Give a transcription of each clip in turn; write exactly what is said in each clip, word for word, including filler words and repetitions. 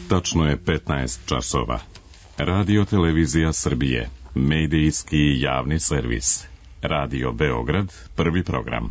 Tačno je petnaest časova. Radio Televizija Srbije, medijski javni servis. Radio Beograd, prvi program.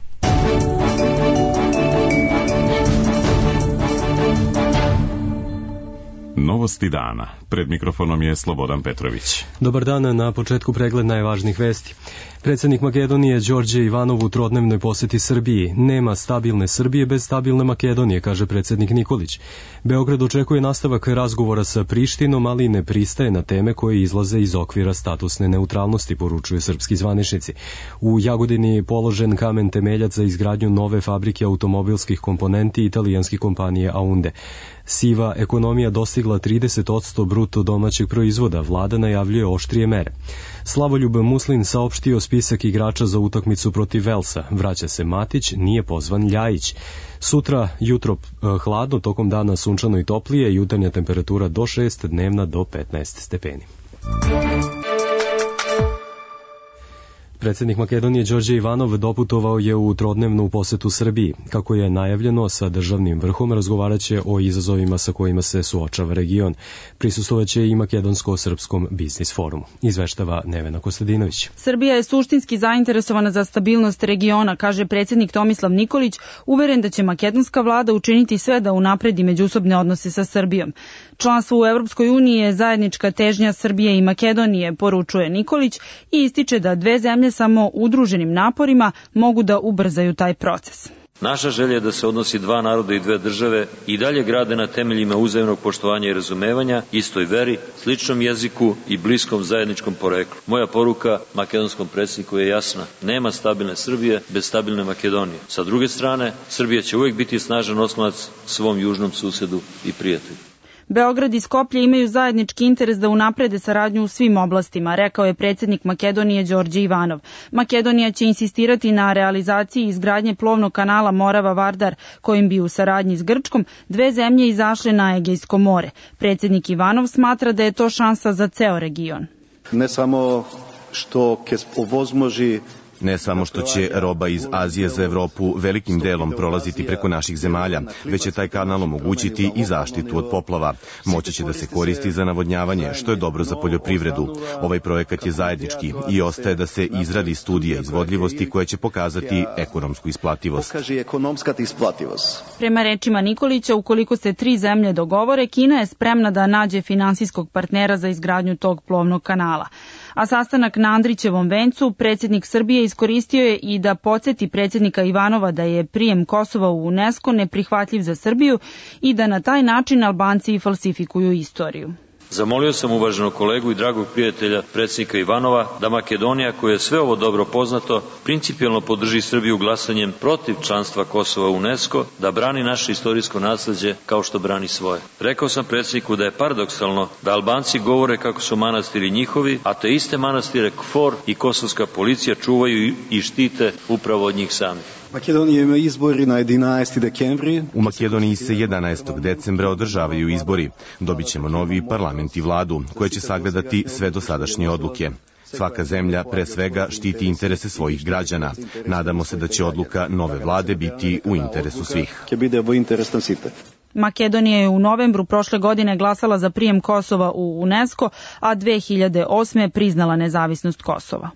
Novosti dana. Pred mikrofonom je Slobodan Petrović. Dobar dan, na početku pregled najvažnijih vesti. Predsednik Makedonije Đorđe Ivanov u trodnevnoj poseti Srbiji. Nema stabilne Srbije bez stabilne Makedonije, kaže predsednik Nikolić. Beograd očekuje nastavak razgovora sa Prištinom, ali ne pristaje na teme koje izlaze iz okvira statusne neutralnosti, poručuju srpski zvaničnici. U Jagodini je položen kamen temeljac za izgradnju nove fabrike automobilskih komponenti italijanske kompanije Aunde. Siva ekonomija dostigla trideset posto bruto domaćeg proizvoda, vlada najavljuje oštrije mere. Slavoljub Muslin saopštio spisak igrača za utakmicu protiv Velsa. Vraća se Matić, nije pozvan Ljajić. Sutra jutro hladno, tokom dana sunčano i toplije, jutarnja temperatura do šest, dnevna do petnaest stepeni. Predsednik Makedonije Đorđe Ivanov doputovao je u trodnevnu posetu Srbiji. Kako je najavljeno, sa državnim vrhom razgovaraće o izazovima sa kojima se suočava region. Prisustvovaće i Makedonsko-srpskom biznis forumu. Izveštava Nevena Kostadinović. Srbija je suštinski zainteresovana za stabilnost regiona, kaže predsednik Tomislav Nikolić, uveren da će makedonska vlada učiniti sve da unapredi međusobne odnose sa Srbijom. Članstvo u Evropskoj uniji je zajednička težnja Srbije i Makedonije, poručuje Nikolić i ističe da dve zemlje samo udruženim naporima mogu da ubrzaju taj proces. Naša želja je da se odnosi dva naroda i dve države i dalje grade na temeljima uzajamnog poštovanja i razumevanja, istoj veri, sličnom jeziku i bliskom zajedničkom poreklu. Moja poruka makedonskom predsjedniku je jasna. Nema stabilne Srbije bez stabilne Makedonije. Sa druge strane, Srbija će uvijek biti snažan oslonac svom južnom susedu i prijatelju. Beograd i Skoplje imaju zajednički interes da unaprede saradnju u svim oblastima, rekao je predsednik Makedonije Đorđe Ivanov. Makedonija će insistirati na realizaciji izgradnje plovnog kanala Morava-Vardar, kojim bi u saradnji s Grčkom dve zemlje izašle na Egejsko more. Predsednik Ivanov smatra da je to šansa za ceo region. Ne samo što ke ovozmoži Ne samo što će roba iz Azije za Evropu velikim delom prolaziti preko naših zemalja, već će taj kanal omogućiti i zaštitu od poplava. Moći će da se koristi za navodnjavanje, što je dobro za poljoprivredu. Ovaj projekat je zajednički i ostaje da se izradi studija izvodljivosti koja će pokazati ekonomsku isplativost. Prema rečima Nikolića, ukoliko se tri zemlje dogovore, Kina je spremna da nađe finansijskog partnera za izgradnju tog plovnog kanala. A sastanak na Andrićevom vencu predsednik Srbije iskoristio je i da podsjeti predsednika Ivanova da je prijem Kosova u UNESCO neprihvatljiv za Srbiju i da na taj način Albanci falsifikuju istoriju. Zamolio sam uvaženog kolegu i dragog prijatelja predsjednika Ivanova da Makedonija, koja je sve ovo dobro poznato, principijelno podrži Srbiju glasanjem protiv članstva Kosova u UNESCO, da brani naše istorijsko nasleđe kao što brani svoje. Rekao sam predsjedniku da je paradoksalno da Albanci govore kako su manastiri njihovi, a te iste manastire KFOR i kosovska policija čuvaju i štite upravo od njih samih. Makedonija ima izbori na jedanaesti dekembri. U Makedoniji se jedanaestog decembra održavaju izbori. Dobit ćemo novi parlament i vladu, koja će sagledati sve dosadašnje odluke. Svaka zemlja pre svega štiti interese svojih građana. Nadamo se da će odluka nove vlade biti u interesu svih. Makedonija je u novembru prošle godine glasala za prijem Kosova u UNESCO, a dve hiljade osme priznala nezavisnost Kosova.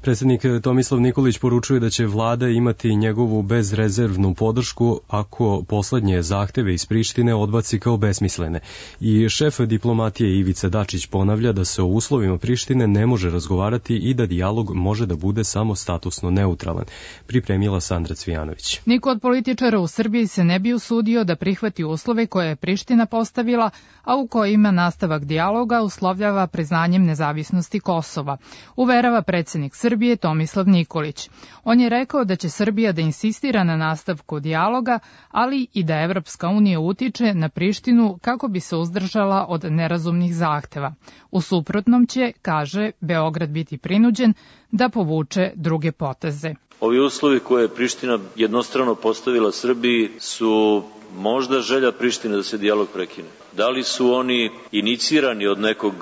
Predsednik Tomislav Nikolić poručuje da će vlada imati njegovu bezrezervnu podršku ako poslednje zahteve iz Prištine odbaci kao besmislene. I šef diplomatije Ivica Dačić ponavlja da se o uslovima Prištine ne može razgovarati i da dijalog može da bude samo statusno neutralan. Pripremila Sandra Cvijanović. Niko od političara u Srbiji se ne bi usudio da prihvati uslove koje je Priština postavila, a u kojima nastavak dijaloga uslovljava priznanjem nezavisnosti Kosova, uverava predsednik Srbije Srbije Tomislav Nikolić. On je rekao da će Srbija da insistira na nastavku dijaloga, ali i da Evropska unija utiče na Prištinu kako bi se uzdržala od nerazumnih zahteva. U suprotnom će, kaže, Beograd biti prinuđen da povuče druge poteze. Ovi uslovi koje je Priština jednostrano postavila Srbiji su možda želja Prištine da se dijalog prekine. Da li su oni inicirani od nekog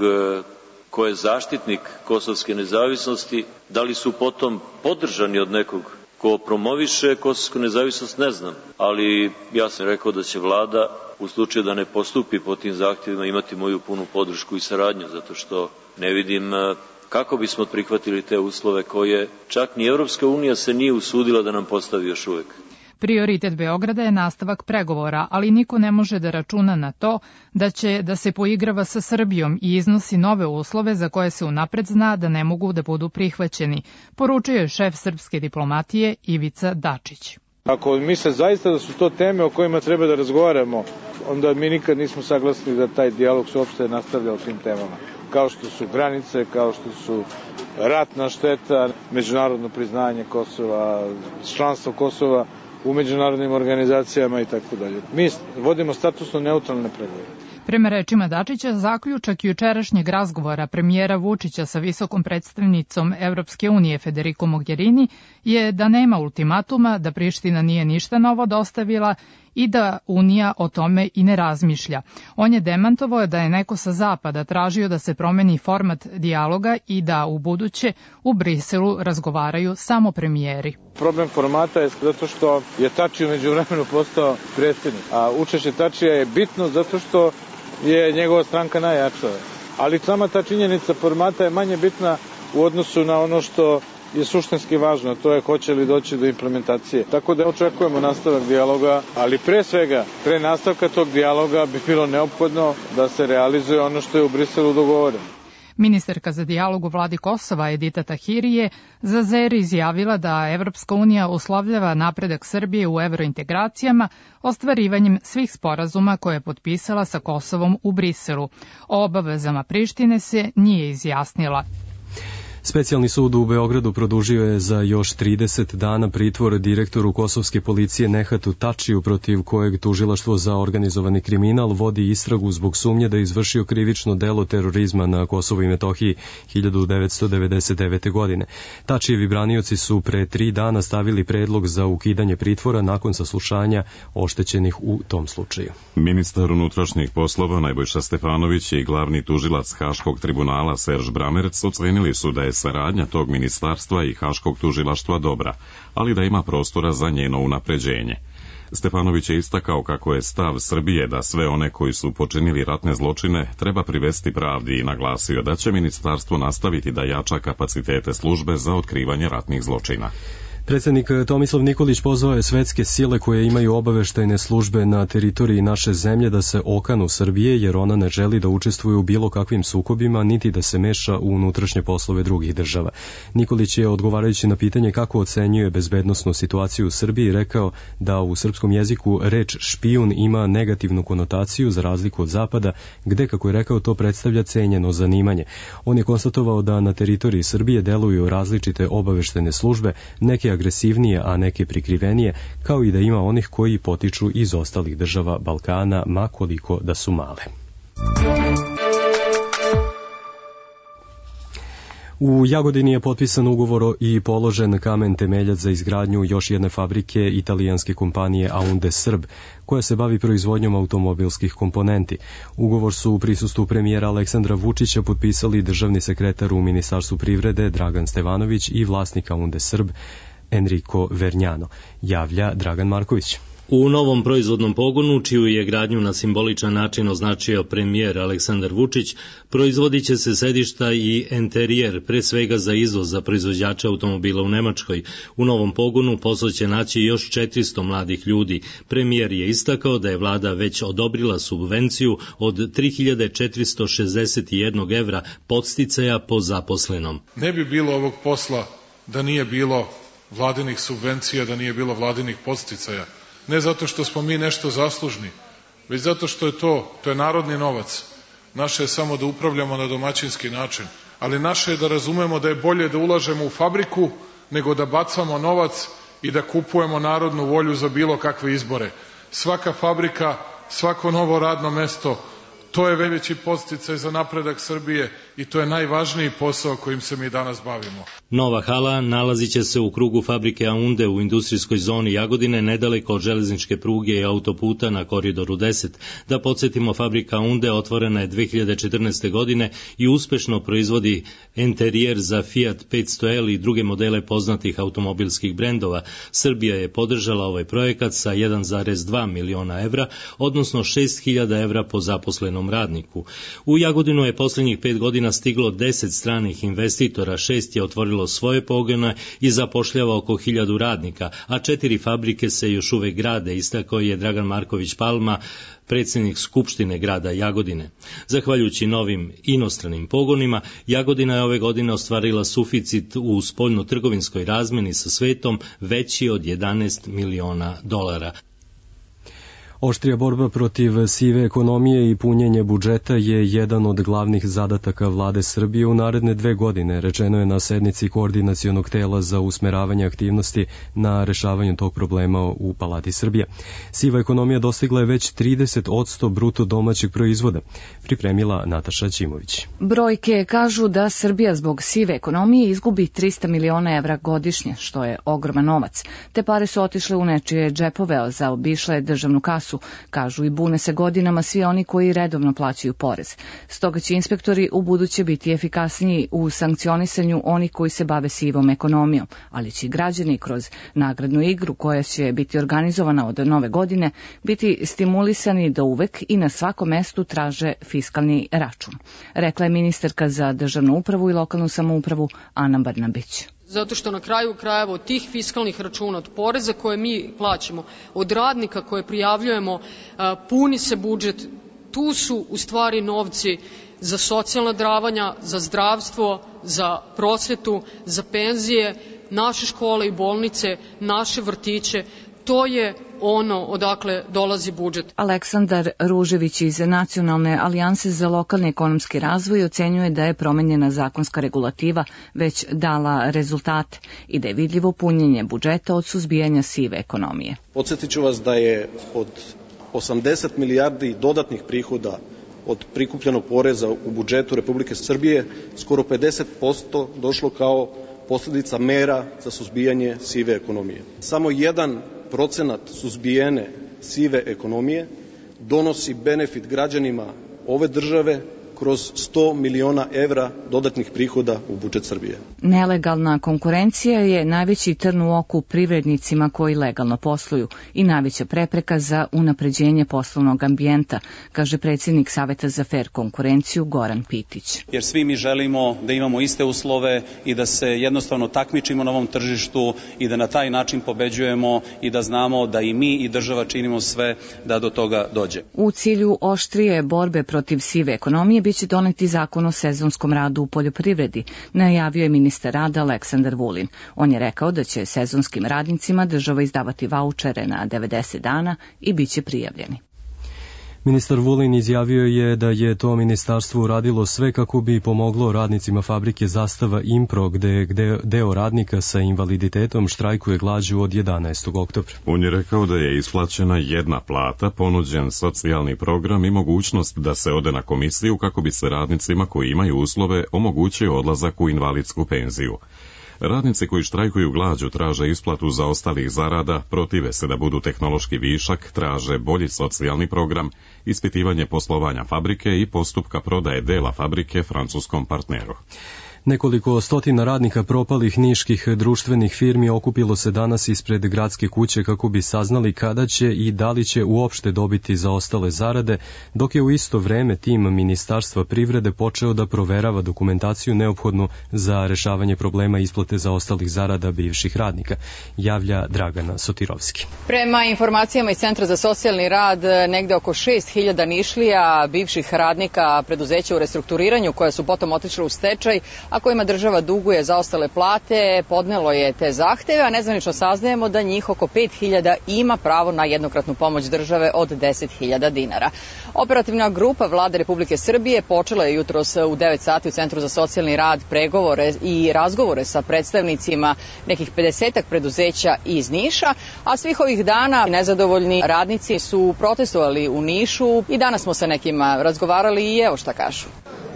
ko je zaštitnik kosovske nezavisnosti, da li su potom podržani od nekog Ko promoviše kosovsku nezavisnost ne znam, ali ja sam rekao da će vlada u slučaju da ne postupi po tim zahtjevima imati moju punu podršku i saradnju, zato što ne vidim kako bismo prihvatili te uslove koje čak ni Evropska unija se nije usudila da nam postavi još uvek. Prioritet Beograda je nastavak pregovora, ali niko ne može da računa na to da će da se poigrava sa Srbijom i iznosi nove uslove za koje se unapred zna da ne mogu da budu prihvaćeni, poručio je šef srpske diplomatije Ivica Dačić. Ako misle zaista da su to teme o kojima treba da razgovaramo, onda mi nikad nismo saglasni da taj dijalog se uopšte nastavlja o tim temama. Kao što su granice, kao što su ratna šteta, međunarodno priznanje Kosova, članstvo Kosova u međunarodnim organizacijama i tako dalje. Mi vodimo statusno neutralne pregovore. Prema rečima Dačića, zaključak jučerašnjeg razgovora premijera Vučića sa visokom predstavnicom Evropske unije Federico Mogherini je da nema ultimatuma, da Priština nije ništa novo dostavila i da Unija o tome i ne razmišlja. On je demantovao da je neko sa zapada tražio da se promeni format dijaloga i da u buduće u Briselu razgovaraju samo premijeri. Problem formata je zato što je Tači umeđu vremenu postao predsjednik, a učešće Tačija je bitno zato što je njegova stranka najjača. Ali sama ta činjenica formata je manje bitna u odnosu na ono što je suštinski važno, to je hoće li doći do implementacije. Tako da očekujemo nastavak dijaloga, ali pre svega, pre nastavka tog dijaloga bi bilo neophodno da se realizuje ono što je u Briselu dogovoreno. Ministarka za dijalog u vladi Kosova Edita Tahiri je za Zer izjavila da Evropska unija uslovljava napredak Srbije u evrointegracijama ostvarivanjem svih sporazuma koje je potpisala sa Kosovom u Briselu. O obavezama Prištine se nije izjasnila. Specijalni sud u Beogradu produžio je za još trideset dana pritvor direktoru kosovske policije Nehatu Tačiju, protiv kojeg tužilaštvo za organizovani kriminal vodi istragu zbog sumnje da je izvršio krivično delo terorizma na Kosovu i Metohiji hiljadu devetsto devedeset devete. godine. Tačijevi branioci su pre tri dana stavili predlog za ukidanje pritvora nakon saslušanja oštećenih u tom slučaju. Ministar unutrašnjih poslova Nebojša Stefanović i glavni tužilac Haškog tribunala Serž Bramerc ocenili su da je saradnja tog ministarstva i Haškog tužilaštva dobra, ali da ima prostora za njeno unapređenje. Stefanović je istakao kako je stav Srbije da sve one koji su počinili ratne zločine treba privesti pravdi i naglasio da će ministarstvo nastaviti da jača kapacitete službe za otkrivanje ratnih zločina. Predsjednik Tomislav Nikolić pozvao je svetske sile koje imaju obaveštajne službe na teritoriji naše zemlje da se okanu Srbije, jer ona ne želi da učestvuje u bilo kakvim sukobima, niti da se meša u unutrašnje poslove drugih država. Nikolić je, odgovarajući na pitanje kako ocenjuje bezbednosnu situaciju u Srbiji, rekao da u srpskom jeziku reč špijun ima negativnu konotaciju za razliku od Zapada, gde, kako je rekao, to predstavlja cenjeno zanimanje. On je konstatovao da na teritoriji Srbije deluju različite obaveštajne službe, neke agresivnije, a neke prikrivenije, kao i da ima onih koji potiču iz ostalih država Balkana, ma koliko da su male. U Jagodini je potpisan ugovor i položen kamen temeljac za izgradnju još jedne fabrike italijanske kompanije Aunde Srb, koja se bavi proizvodnjom automobilskih komponenti. Ugovor su u prisustvu premijera Aleksandra Vučića potpisali državni sekretar u Ministarstvu privrede Dragan Stevanović i vlasnik Aunde Srb Enrico Vernjano, javlja Dragan Marković. U novom proizvodnom pogonu, čiju je gradnju na simboličan način označio premijer Aleksandar Vučić, proizvodit će se sedišta i enterijer, pre svega za izvoz za proizvođače automobila u Nemačkoj. U novom pogonu posao će naći još četiristo mladih ljudi. Premijer je istakao da je vlada već odobrila subvenciju od tri hiljade četiristo šezdeset jedan evra podsticaja po zaposlenom. Ne bi bilo ovog posla da nije bilo vladinih subvencija, da nije bilo vladinih podsticaja. Ne zato što smo mi nešto zaslužni, već zato što je to, to je narodni novac. Naše je samo da upravljamo na domaćinski način, ali naše je da razumemo da je bolje da ulažemo u fabriku nego da bacamo novac i da kupujemo narodnu volju za bilo kakve izbore. Svaka fabrika, svako novo radno mesto, To je veći podsticaj za napredak Srbije i to je najvažniji posao kojim se mi danas bavimo. Nova hala nalazit će se u krugu fabrike Aunde u industrijskoj zoni Jagodine, nedaleko od železničke pruge i autoputa na Koridoru deset. Da podsjetimo, fabrika Aunde otvorena je dve hiljade četrnaeste. godine i uspešno proizvodi enterijer za Fiat petsto L i druge modele poznatih automobilskih brendova. Srbija je podržala ovaj projekat sa jedan zarez dva miliona evra, odnosno šest hiljada evra po zaposlenom radniku. U Jagodinu je posljednjih pet godina stiglo deset stranih investitora, šest je otvorilo svoje pogone i zapošljava oko hiljadu radnika, a četiri fabrike se još uvek grade, istakao je Dragan Marković Palma, predsjednik Skupštine grada Jagodine. Zahvaljujući novim inostranim pogonima, Jagodina je ove godine ostvarila suficit u spoljno-trgovinskoj razmeni sa svetom veći od jedanaest miliona dolara. Oštrija borba protiv sive ekonomije i punjenje budžeta je jedan od glavnih zadataka vlade Srbije u naredne dve godine, rečeno je na sednici koordinacionog tela za usmeravanje aktivnosti na rešavanju tog problema u Palati Srbije. Siva ekonomija dostigla je već trideset posto bruto domaćeg proizvoda, pripremila Nataša Ćimović. Brojke kažu da Srbija zbog sive ekonomije izgubi trista miliona evra godišnje, što je ogroman novac. Te pare su otišle u nečije džepove, a zaobišle državnu kasu, kažu i bune se godinama svi oni koji redovno plaćaju porez. Stoga će inspektori u buduće biti efikasniji u sankcionisanju onih koji se bave sivom ekonomijom, ali će i građani kroz nagradnu igru koja će biti organizovana od nove godine biti stimulisani da uvek i na svakom mestu traže fiskalni račun, rekla je ministarka za državnu upravu i lokalnu samoupravu Ana Brnabić. Zato što na kraju krajeva od tih fiskalnih računa, od poreza koje mi plaćamo, od radnika koje prijavljujemo, puni se budžet. Tu su u stvari novci za socijalna davanja, za zdravstvo, za prosvetu, za penzije, naše škole i bolnice, naše vrtiće. To je ono odakle dolazi budžet. Aleksandar Ružević iz Nacionalne alijanse za lokalni ekonomski razvoj ocenjuje da je promenjena zakonska regulativa već dala rezultate i da je vidljivo punjenje budžeta od suzbijanja sive ekonomije. Podsjetit ću vas da je od osamdeset milijardi dodatnih prihoda od prikupljenog poreza u budžetu Republike Srbije skoro pedeset posto došlo kao posljedica mera za suzbijanje sive ekonomije. Samo jedan procenat suzbijene sive ekonomije donosi benefit građanima ove države kroz sto miliona evra dodatnih prihoda u budžet Srbije. Nelegalna konkurencija je najveći trn u oku privrednicima koji legalno posluju i najveća prepreka za unapređenje poslovnog ambijenta, kaže predsjednik Saveta za fer konkurenciju Goran Pitić. Jer svi mi želimo da imamo iste uslove i da se jednostavno takmičimo na ovom tržištu i da na taj način pobeđujemo i da znamo da i mi i država činimo sve da do toga dođe. U cilju oštrije borbe protiv sive ekonomije biće doneti zakon o sezonskom radu u poljoprivredi, najavio je ministar rada Aleksandar Vulin. On je rekao da će sezonskim radnicima država izdavati vaučere na devedeset dana i bit će prijavljeni. Ministar Vulin izjavio je da je to ministarstvo uradilo sve kako bi pomoglo radnicima fabrike Zastava Impro, gde, gde deo radnika sa invaliditetom štrajkuje glađu od jedanaestog oktobra. On je rekao da je isplaćena jedna plata, ponuđen socijalni program i mogućnost da se ode na komisiju kako bi se radnicima koji imaju uslove omogućio odlazak u invalidsku penziju. Radnici koji štrajkuju glađu traže isplatu zaostalih zarada, protive se da budu tehnološki višak, traže bolji socijalni program, ispitivanje poslovanja fabrike i postupka prodaje dela fabrike francuskom partneru. Nekoliko stotina radnika propalih niških društvenih firmi okupilo se danas ispred gradske kuće kako bi saznali kada će i da li će uopšte dobiti zaostale zarade, dok je u isto vreme tim Ministarstva privrede počeo da proverava dokumentaciju neophodnu za rešavanje problema isplate zaostalih zarada bivših radnika, javlja Dragana Sotirovski. Prema informacijama iz Centra za socijalni rad, negde oko šest hiljada Nišlija, bivših radnika preduzeća u restrukturiranju koja su potom otišle u stečaj, a a kojima država duguje zaostale plate, podnelo je te zahteve, a nezvanično saznajemo da njih oko pet hiljada ima pravo na jednokratnu pomoć države od deset hiljada dinara. Operativna grupa Vlade Republike Srbije počela je jutros u devet sati u Centru za socijalni rad pregovore i razgovore sa predstavnicima nekih pedesetak preduzeća iz Niša, a svih ovih dana nezadovoljni radnici su protestovali u Nišu i danas smo sa nekima razgovarali i evo šta kažu.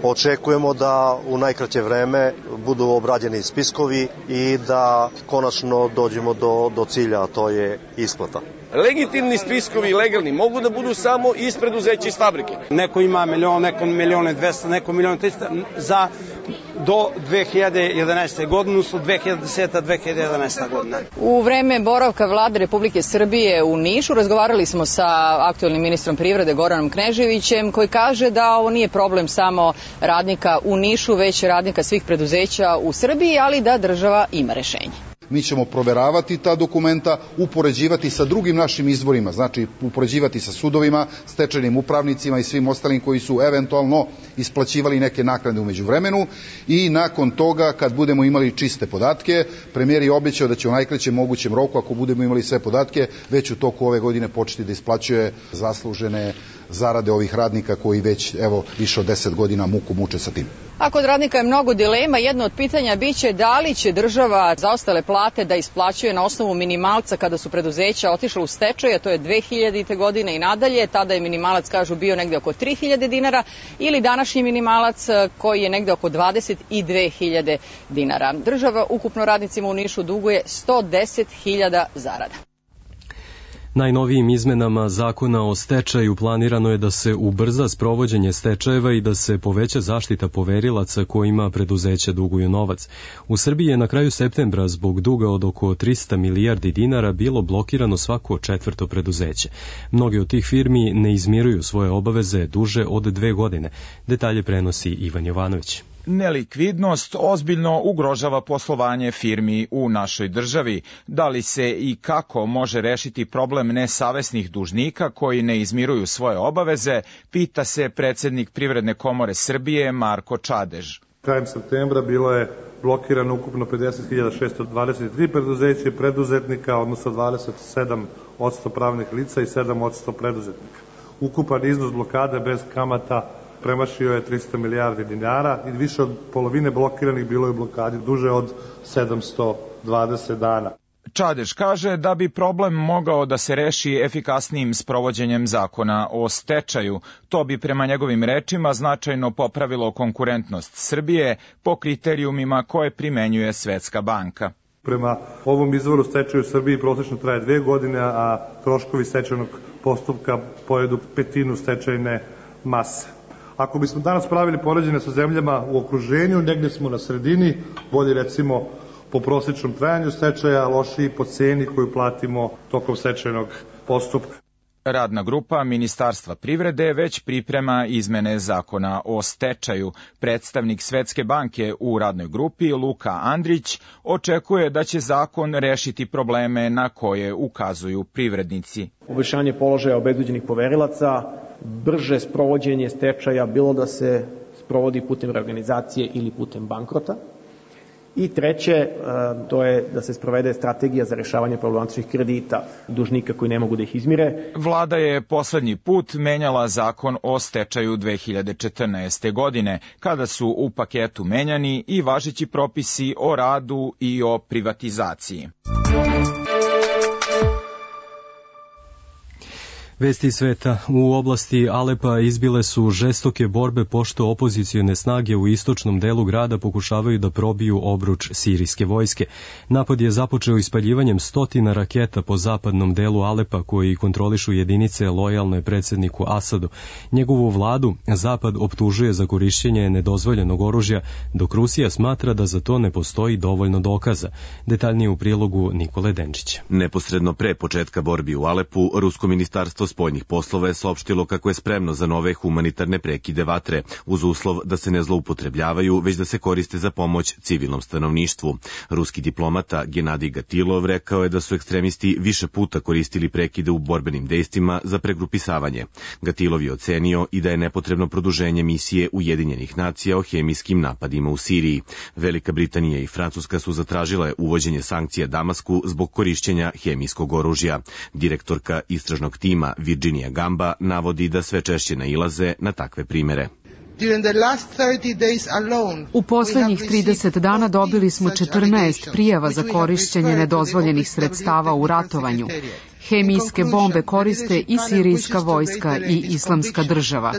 Očekujemo da u najkraće vreme budu obrađeni spiskovi i da konačno dođemo do, do cilja, a to je isplata. Legitimni spiskovi, legalni, mogu da budu samo iz preduzeća iz fabrike. Neko ima milion, neko milion i dvesta, neko milion i trista za do dve hiljade jedanaeste godine, odnosno dve hiljade deseta do dve hiljade jedanaeste godina. U vreme boravka Vlade Republike Srbije u Nišu razgovarali smo sa aktuelnim ministrom privrede Goranom Kneževićem, koji kaže da ovo nije problem samo radnika u Nišu, već radnika svih preduzeća u Srbiji, ali da država ima rešenje. Mi ćemo proveravati ta dokumenta, upoređivati sa drugim našim izvorima, znači upoređivati sa sudovima, stečajnim upravnicima i svim ostalim koji su eventualno isplaćivali neke naknade u međuvremenu i nakon toga, kad budemo imali čiste podatke, premijer je obećao da će u najkraćem mogućem roku, ako budemo imali sve podatke, već u toku ove godine početi da isplaćuje zaslužene zarade ovih radnika koji već evo više od deset godina muku muče sa tim. A kod radnika je mnogo dilema. Jedno od pitanja biće da li će država zaostale plate da isplaćuje na osnovu minimalca kada su preduzeća otišla u stečaj, a to je dve hiljadite godine i nadalje. Tada je minimalac, kažu, bio negde oko tri hiljade dinara ili današnji minimalac koji je negde oko dvadeset dve hiljade dinara. Država ukupno radnicima u Nišu duguje sto deset hiljada zarada. Najnovijim izmenama zakona o stečaju planirano je da se ubrza sprovođenje stečajeva i da se poveća zaštita poverilaca kojima preduzeća duguju novac. U Srbiji je na kraju septembra zbog duga od oko trista milijardi dinara bilo blokirano svako četvrto preduzeće. Mnogi od tih firmi ne izmiruju svoje obaveze duže od dve godine. Detalje prenosi Ivan Jovanović. Nelikvidnost ozbiljno ugrožava poslovanje firmi u našoj državi. Da li se i kako može rešiti problem nesavesnih dužnika koji ne izmiruju svoje obaveze, pita se predsednik Privredne komore Srbije Marko Čadež. Krajem septembra bilo je blokirano ukupno pedeset hiljada šesto dvadeset tri preduzeća i preduzetnika, odnosno dvadeset sedam posto pravnih lica i sedam posto preduzetnika. Ukupan iznos blokade bez kamata premašio je trista milijardi dinara i više od polovine blokiranih bilo je u blokadi duže od sedamsto dvadeset dana. Čadež kaže da bi problem mogao da se reši efikasnijim sprovođenjem zakona o stečaju. To bi prema njegovim rečima značajno popravilo konkurentnost Srbije po kriterijumima koje primenjuje Svetska banka. Prema ovom izvoru stečaj u Srbiji prosečno traje dve godine, a troškovi stečajnog postupka pojedu petinu stečajne mase. Ako bismo danas pravili poređenje sa zemljama u okruženju, negdje smo na sredini, bolje recimo po prosječnom trajanju stečaja, lošiji po ceni koju platimo tokom stečajnog postupka. Radna grupa Ministarstva privrede već priprema izmene zakona o stečaju. Predstavnik Svetske banke u radnoj grupi Luka Andrić očekuje da će zakon rešiti probleme na koje ukazuju privrednici. Poboljšanje položaja obezbeđenih poverilaca, brže sprovođenje stečaja, bilo da se sprovodi putem reorganizacije ili putem bankrota. I treće, to je da se sprovede strategija za rešavanje problematičnih kredita dužnika koji ne mogu da ih izmire. Vlada je poslednji put menjala zakon o stečaju dve hiljade četrnaeste. godine, kada su u paketu menjani i važeći propisi o radu i o privatizaciji. Vesti iz sveta. U oblasti Alepa izbile su žestoke borbe pošto opozicione snage u istočnom delu grada pokušavaju da probiju obruč sirijske vojske. Napad je započeo ispaljivanjem stotina raketa po zapadnom delu Alepa koji kontrolišu jedinice lojalne predsedniku Asadu. Njegovu vladu Zapad optužuje za korišćenje nedozvoljenog oružja, dok Rusija smatra da za to ne postoji dovoljno dokaza. Detaljnije u prilogu Nikole Denčića. Neposredno pre početka borbi u Alepu, Rusko ministarstvo spoljnih poslova je saopštilo kako je spremno za nove humanitarne prekide vatre, uz uslov da se ne zloupotrebljavaju, već da se koriste za pomoć civilnom stanovništvu. Ruski diplomata Genadij Gatilov rekao je da su ekstremisti više puta koristili prekide u borbenim dejstvima za pregrupisavanje. Gatilov je ocenio i da je nepotrebno produženje misije Ujedinjenih nacija o hemijskim napadima u Siriji. Velika Britanija i Francuska su zatražile uvođenje sankcija Damasku zbog korišćenja hemijskog oružja. Direktorka istražnog tima Virginia Gamba navodi da sve češće nailaze na takve primere. U poslednjih trideset dana dobili smo četrnaest prijava za korišćenje nedozvoljenih sredstava u ratovanju. Hemijske bombe koriste i sirijska vojska i islamska država.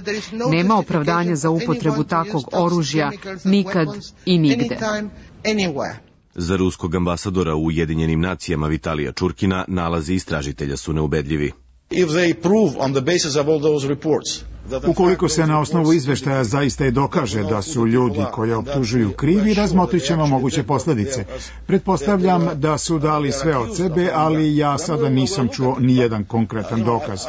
Nema opravdanja za upotrebu takvog oružja nikad i nigde. Za ruskog ambasadora u Ujedinjenim nacijama Vitalija Čurkina nalazi istražitelja su neubedljivi. Ukoliko se na osnovu izveštaja zaista i dokaže da su ljudi koje optužuju krivi, razmotrit ćemo moguće posledice. Pretpostavljam da su dali sve od sebe, ali ja sada nisam čuo ni jedan konkretan dokaz.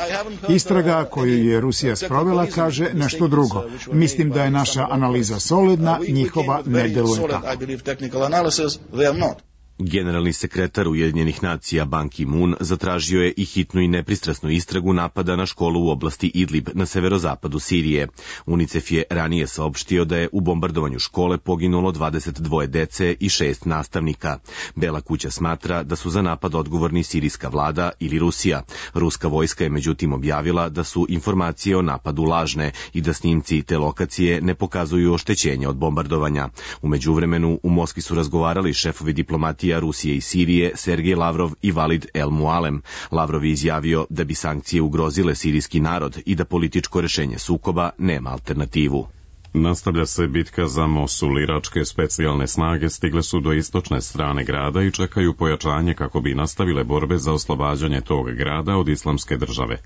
Istraga koju je Rusija sprovela kaže nešto drugo. Mislim da je naša analiza solidna, njihova ne deluje tako. Generalni sekretar Ujedinjenih nacija Ban Ki-moon zatražio je i hitnu i nepristrasnu istragu napada na školu u oblasti Idlib na severozapadu Sirije. UNICEF je ranije saopštio da je u bombardovanju škole poginulo dvadeset dvoje dece i šest nastavnika. Bela kuća smatra da su za napad odgovorni sirijska vlada ili Rusija. Ruska vojska je međutim objavila da su informacije o napadu lažne i da snimci te lokacije ne pokazuju oštećenja od bombardovanja. U međuvremenu u Moskvi su razgovarali šefovi diplomatije Rusije i Sirije Sergej Lavrov i Valid El Mualem. Lavrov je izjavio da bi sankcije ugrozile sirijski narod i da političko rešenje sukoba nema alternativu. Nastavlja se bitka za Mosul. Iračke specijalne snage stigle su do istočne strane grada i čekaju pojačanje kako bi nastavile borbe za oslobađanje tog grada od islamske države.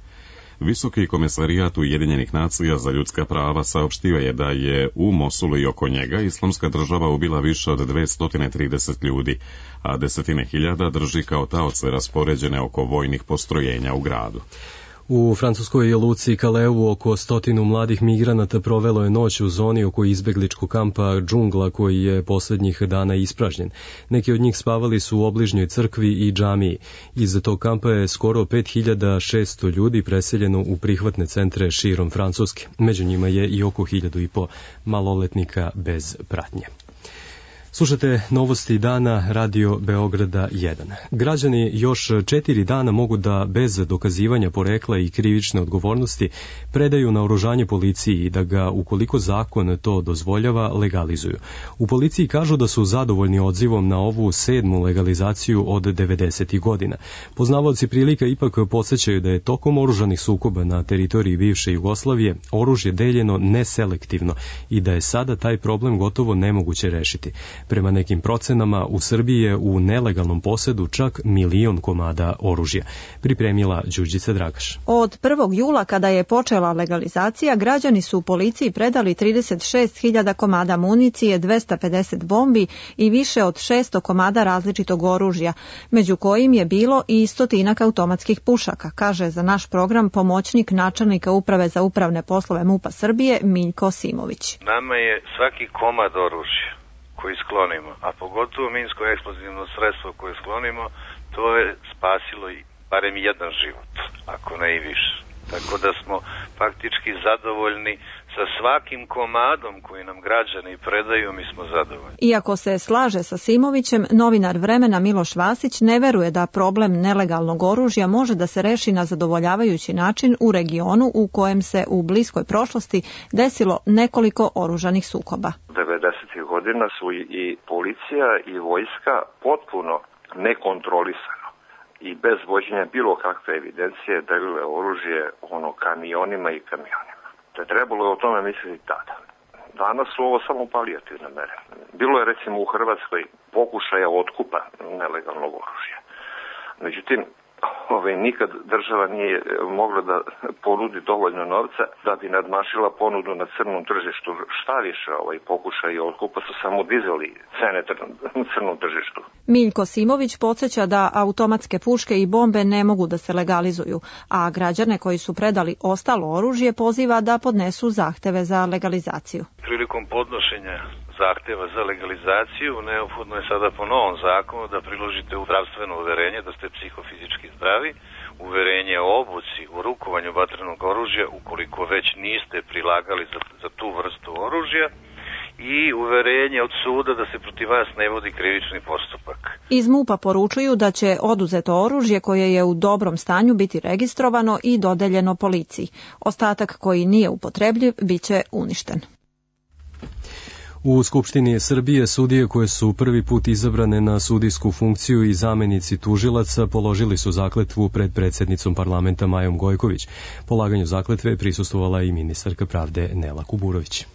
Visoki komesarijat Ujedinjenih nacija za ljudska prava saopštio je da je u Mosulu i oko njega islamska država ubila više od dvesta trideset ljudi, a desetine hiljada drži kao taoce raspoređene oko vojnih postrojenja u gradu. U francuskoj luci Kaleu oko stotinu mladih migranata provelo je noć u zoni oko izbegličkog kampa Džungla koji je poslednjih dana ispražnjen. Neki od njih spavali su u obližnjoj crkvi i džamiji. Iz tog kampa je skoro pet hiljada šesto ljudi preseljeno u prihvatne centre širom Francuske. Među njima je i oko hiljadu i po maloletnika bez pratnje. Slušate novosti dana Radio Beograda jedan. Građani još četiri dana mogu da bez dokazivanja porekla i krivične odgovornosti predaju naoružanje policiji i da ga, ukoliko zakon to dozvoljava, legalizuju. U policiji kažu da su zadovoljni odzivom na ovu sedmu legalizaciju od devedesetih godina. Poznavaoci prilika ipak podsjećaju da je tokom oružanih sukoba na teritoriji bivše Jugoslavije oružje deljeno neselektivno i da je sada taj problem gotovo nemoguće rešiti. Prema nekim procenama, u Srbiji je u nelegalnom posedu čak milion komada oružja. Pripremila Đurđica Dragaš. Od prvog jula, kada je počela legalizacija, građani su u policiji predali trideset šest hiljada komada municije, dvesta pedeset bombi i više od šesto komada različitog oružja, među kojim je bilo i stotinak automatskih pušaka, kaže za naš program pomoćnik načelnika Uprave za upravne poslove MUP-a Srbije Miljko Simović. Nama je svaki komad oružja koji sklonimo, a pogotovo minsko-eksplozivno sredstvo koje sklonimo, to je spasilo i barem jedan život, ako ne i više. Tako da smo faktički zadovoljni sa svakim komadom koji nam građani predaju, mi smo zadovoljni. Iako se slaže sa Simovićem, novinar Vremena Miloš Vasić ne veruje da problem nelegalnog oružja može da se reši na zadovoljavajući način u regionu u kojem se u bliskoj prošlosti desilo nekoliko oružanih sukoba. devedesetih godina su i policija i vojska potpuno nekontrolisano i bez vođenja bilo kakve evidencije delile oružje ono kamionima i kamionima. Te trebalo je o tome misliti tada. Danas su ovo samo palijativne mere. Bilo je recimo u Hrvatskoj pokušaja otkupa nelegalnog oružja. Međutim, ovaj, nikad država nije mogla da ponudi dovoljno novca da bi nadmašila ponudu na crnom tržištu. Šta više, ovaj, pokušaj otkupa su samo dizali cene na crnom tržištu. Miljko Simović podsjeća da automatske puške i bombe ne mogu da se legalizuju, a građane koji su predali ostalo oružje poziva da podnesu zahteve za legalizaciju. Prilikom podnošenja zahteva za legalizaciju neophodno je sada po novom zakonu da priložite zdravstveno uverenje da ste psihofizički zdravi, uverenje o obuci u rukovanju vatrenog oružja ukoliko već niste prilagali za, za tu vrstu oružja i uverenje od suda da se protiv vas ne vodi krivični postupak. Iz MUP-a poručuju da će oduzeto oružje koje je u dobrom stanju biti registrovano i dodeljeno policiji. Ostatak koji nije upotrebljiv biće uništen. U Skupštini Srbije sudije koje su prvi put izabrane na sudijsku funkciju i zamenici tužilaca položili su zakletvu pred predsjednicom parlamenta Majom Gojković. Polaganju zakletve prisustvovala i ministarka pravde Nela Kuburović.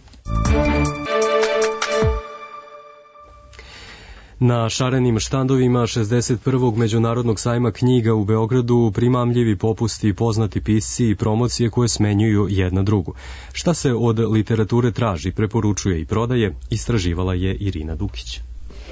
Na šarenim štandovima šezdeset prvog Međunarodnog sajma knjiga u Beogradu primamljivi popusti, poznati pisci i promocije koje smenjuju jedna drugu. Šta se od literature traži, preporučuje i prodaje, istraživala je Irina Dukić.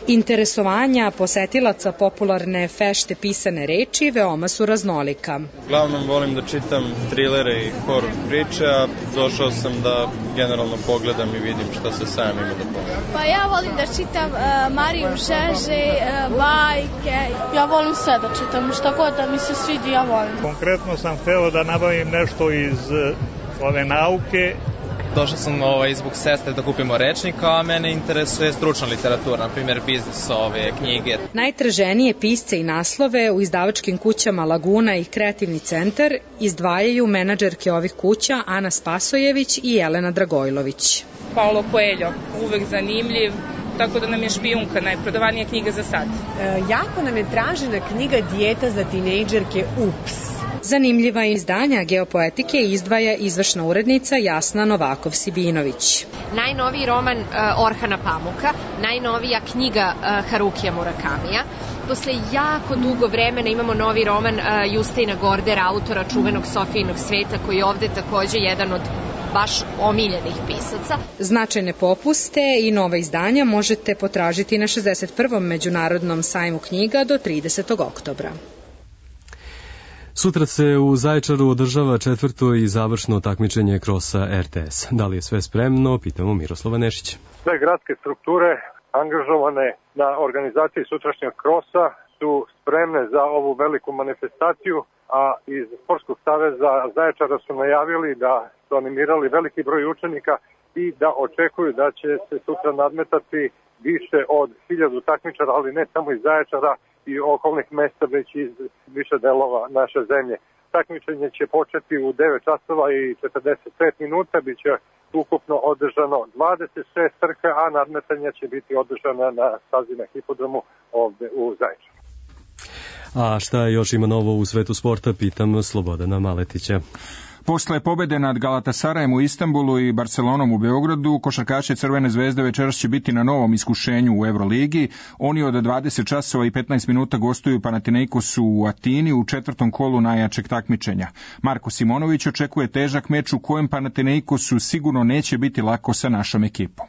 Interesovanja posetilaca popularne fešte pisane reči veoma su raznolika. Uglavnom volim da čitam trilere i horor priče, a došao sam da generalno pogledam i vidim šta se sam ima da pogledam. Pa ja volim da čitam uh, Mariju Žeže, uh, bajke. Ja volim sve da čitam, šta god da mi se svidi, ja volim. Konkretno sam hteo da nabavim nešto iz uh, ove nauke. Došao sam ovaj, zbog sestre da kupimo rečnik, a mene interesuje stručna literatura, na primjer biznis, ove knjige. Najtraženije pisce i naslove u izdavačkim kućama Laguna i Kreativni centar izdvajaju menadžerke ovih kuća Ana Spasojević i Jelena Dragojlović. Paulo Coelho, uvek zanimljiv, tako da nam je Špijunka najprodavanija knjiga za sad. E, jako nam je tražena knjiga Dijeta za tinejdžerke Ups. Zanimljiva izdanja geopoetike izdvaja izvršna urednica Jasna Novakov-Sibinović. Najnoviji roman uh, Orhana Pamuka, najnovija knjiga uh, Harukija Murakamija. Posle jako dugo vremena imamo novi roman uh, Justina Gordera, autora čuvenog Sofijinog sveta, koji je ovde takođe jedan od baš omiljenih pisaca. Značajne popuste i nova izdanja možete potražiti na šezdeset prvom Međunarodnom sajmu knjiga do tridesetog oktobra. Sutra se u Zaječaru održava četvrto i završno takmičenje krosa er te es. Da li je sve spremno? Pitamo Miroslava Nešića. Sve gradske strukture angažovane na organizaciji sutrašnjeg krosa su spremne za ovu veliku manifestaciju, a iz Sportskog saveza Zaječara su najavili da su animirali veliki broj učenika i da očekuju da će se sutra nadmetati više od hiljadu takmičara, ali ne samo iz Zaječara i okolnih mesta, već iz više delova naše zemlje. Takmičenje će početi u devet časova i četrdeset pet minuta, bit će ukupno održano dvadeset šest trka, a nadmetanja će biti održana na stazi na hipodromu ovde u Zaječaru. A šta još ima novo u svetu sporta, pitam Slobodana Maletića. Posle pobede nad Galatasarajem u Istanbulu i Barcelonom u Beogradu, košarkaši Crvene zvezde večeras će biti na novom iskušenju u Euroligi. Oni od dvadeset časova i petnaest minuta gostuju Panathinaikosu u Atini u četvrtom kolu najjačeg takmičenja. Marko Simonović očekuje težak meč u kojem Panathinaikosu sigurno neće biti lako sa našom ekipom.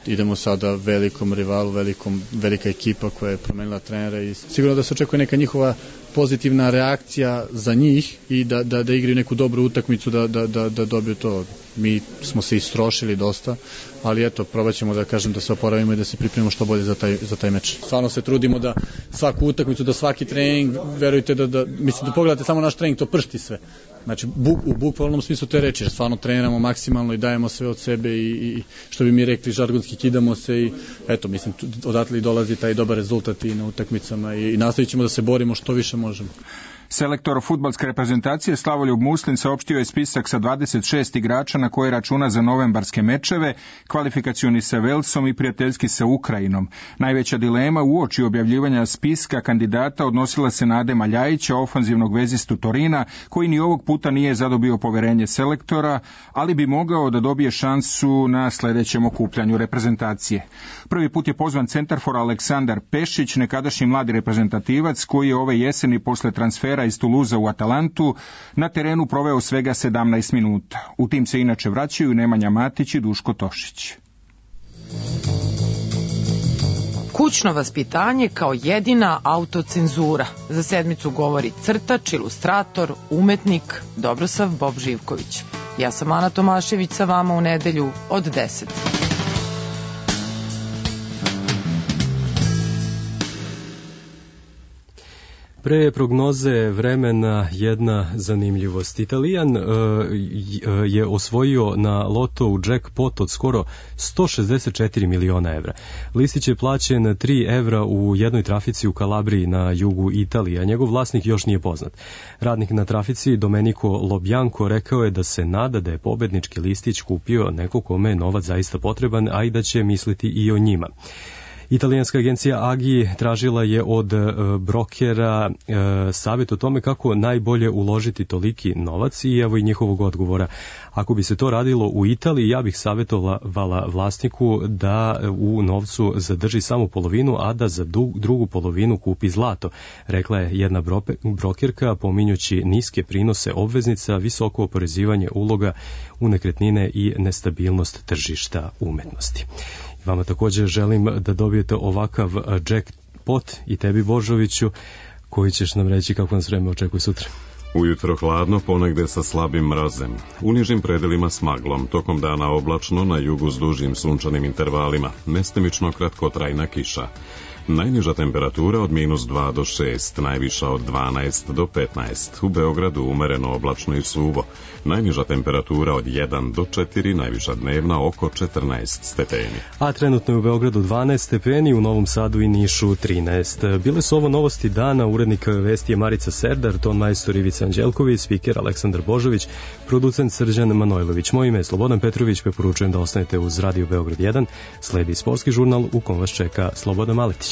Idemo sada velikom rivalu, velikom, velika ekipa koja je promenila trenera i sigurno da se očekuje neka njihova pozitivna reakcija za njih i da, da, da igraju neku dobru utakmicu, da, da, da, da dobiju to. Mi smo se istrošili dosta, ali eto, probat ćemo da kažem da se oporavimo i da se pripremimo što bolje za taj, za taj meč. Stvarno se trudimo da svaku utakmicu, da svaki trening, verujte da, da mislim da pogledate samo naš trening, to pršti sve. Znači, bu, u bukvalnom smislu te reči, jer stvarno treniramo maksimalno i dajemo sve od sebe i, i što bi mi rekli, žargonski kidamo se i eto, mislim, odatle i dolazi taj dobar rezultat i na utakmicama i, i nastavit ćemo da se borimo što više možemo. Selektor fudbalske reprezentacije Slavoljub Muslin saopštio je spisak sa dvadeset šest igrača na koje računa za novembarske mečeve, kvalifikacioni sa Velsom i prijateljski sa Ukrajinom. Najveća dilema uoči objavljivanja spiska kandidata odnosila se na Adema Ljajića, ofanzivnog vezistu Torina, koji ni ovog puta nije zadobio poverenje selektora, ali bi mogao da dobije šansu na sledećem okupljanju reprezentacije. Prvi put je pozvan centarfor Aleksandar Pešić, nekadašnji mladi reprezentativac koji je ove jeseni posle transfera transfera iz Tuluza u Atalantu na terenu proveo svega sedamnaest minuta. U tim se inače vraćaju Nemanja Matić i Duško Tošić. Kućno vaspitanje kao jedina autocenzura. Za sedmicu govori crtač, ilustrator, umetnik Dobrosav Bob Živković. Ja sam Ana Tomašević sa vama u nedelju od deset. Pre prognoze vremena jedna zanimljivost. Italijan uh, je osvojio na loto u jackpot od skoro sto šezdeset četiri miliona evra. Listić je plaćen tri evra u jednoj trafici u Kalabriji na jugu Italije, a njegov vlasnik još nije poznat. Radnik na trafici Domenico Lobjanko rekao je da se nada da je pobednički listić kupio neko kome je novac zaista potreban, a i da će misliti i o njima. Italijanska agencija Agi tražila je od e, brokera e, savjet o tome kako najbolje uložiti toliki novac i evo i njihovog odgovora. Ako bi se to radilo u Italiji, ja bih savjetovala vlasniku da u novcu zadrži samo polovinu, a da za drugu polovinu kupi zlato, rekla je jedna brokerka pominjući niske prinose obveznica, visoko oporezivanje uloga u nekretnine i nestabilnost tržišta umetnosti. Vama također želim da dobijete ovakav jackpot i tebi Božoviću, koji ćeš nam reći kako nas vreme očekuje sutra. Ujutro hladno, ponegde sa slabim mrazem. U nižim predelima s maglom, tokom dana oblačno, na jugu s dužim sunčanim intervalima, mestimično kratkotrajna kiša. Najniža temperatura od minus dva do šest, najviša od dvanaest do petnaest. U Beogradu umereno oblačno i suvo. Najniža temperatura od jedan do četiri, najviša dnevna oko četrnaest stepeni. A trenutno je u Beogradu dvanaest stepeni, u Novom Sadu i Nišu trinaest. Bile su ovo novosti dana, urednik vesti je Marica Serdar, ton majstor Ivica Anđelković, spiker Aleksandar Božović, producent Srđan Manojlović. Moje ime je Slobodan Petrović, preporučujem da ostanete uz Radio Beograd jedan. Sledi sportski žurnal u kom vas čeka Slobodan Maletić.